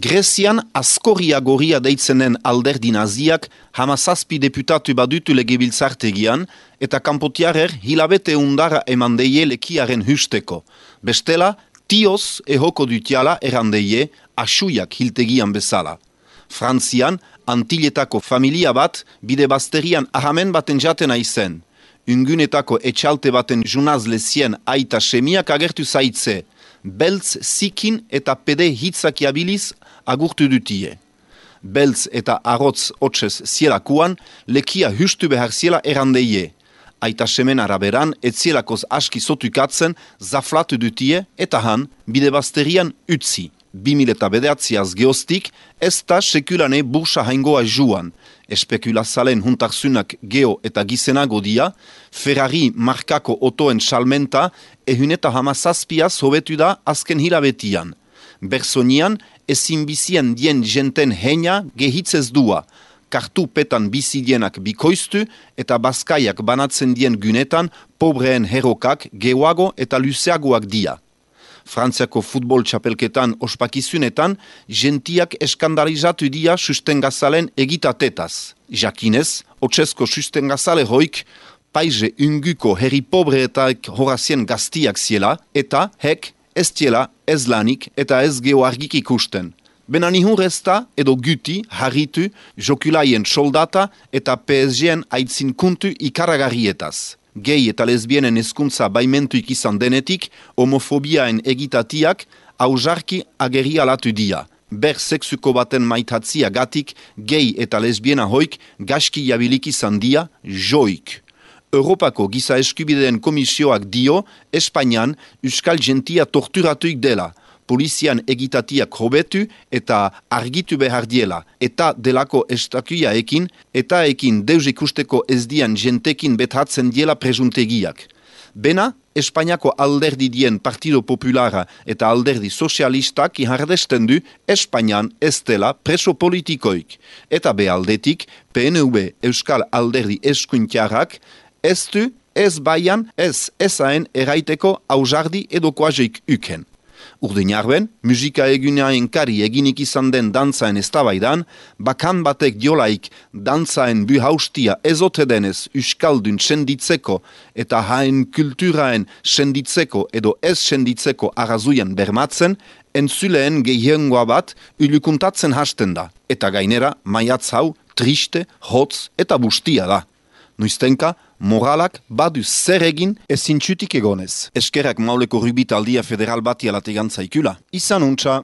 Grezian Askoria Goria deitzenen alderdi naziak 17 deputatu badutu legebiltzartegian eta kanpotiarer hilabete undara eman deie lekiaren husteko. Bestela, tioz ehoko dutiala erandeie asuiak hiltegian bezala. Frantzian, Antilletako familia bat bide bazterian ahamen baten jatena izen. Ungunetako etxalte baten junaz lezien aita semiak agertu zaitze. Beltz, zikin eta pede hitzak abiliz agurtu dutie. Beltz eta arrotz hotzez zielakuan lekia hustu behar ziela erandeie. Aita semen araberan etzielakoz aski sotukatzen zaflatu dutie eta han bide bazterian utzi. 2009 geostik ez da sekulane bursa haingoa juan. Espekulazalen huntarzunak geo eta gizenago dia, Ferrari markako otoen salmenta ehuneta 17 hobetu da azken hilabetian. Bersonian ezin bizien dien jenten heina gehitzez dua. Kartu petan bizidienak bikoiztu eta bazkaiak banatzen dien gunetan pobreen herokak geoago eta luzeagoak dia. Frantziako futbol txapelketan ospakizunetan, gentiak eskandalizatu dia sustengazalen egitatetaz. Jakinez, otsesko sustengazale hoik, paize unguko herri pobreetak horazien gaztiak ziela, eta hek ez tiela ez lanik eta ez geoargik ikusten. Bena nihur ezta edo guti, harritu, jokulaien soldata eta PSG-en aitzin kuntu ikaragarrietaz. Gay eta lesbienen hezkuntza baimentuik izan denetik, homofobiaen egitatiak hausarki ageri alatu dia. Ber sexuko baten maitatzia gatik, gay eta lesbiena hoik gaski jabilik izan dia, joik. Europako giza eskubideen komisioak dio, Espainian euskal gentia torturatuik dela. Polizian egitatiak hobetu eta argitu behar diela, eta delako estakuiaekin, eta ekin deus ikusteko ez dian jentekin bethatzen diela presuntegiak. Bena, Espainiako alderdi dien Partido Populara eta alderdi sozialistak ihardesten du Espainian ez dela preso politikoik. Eta behaldetik, PNV Euskal Alderdi Eskuintiarrak ez du, ez baian, ez ezaen eraiteko hausardi edo koazeik uken. Urdin arben, musika eguneaen kari eginik izan den dantzaen eztabaidan, bakan batek diolaik dantzaen buhaustia ezote denez uskaldun senditzeko eta haen kulturaen senditzeko edo ez senditzeko arrazuian bermatzen, entzuleen gehiengoa bat ulukuntatzen hasten da. Eta gainera, maiatz hau, triste, hotz eta bustia da. Noiztenka, moralak badu zer egin ezintxutik egonez. Eskerrak Mauleko Rubitaldia Federal bati alategantzaikula. Izan untxa!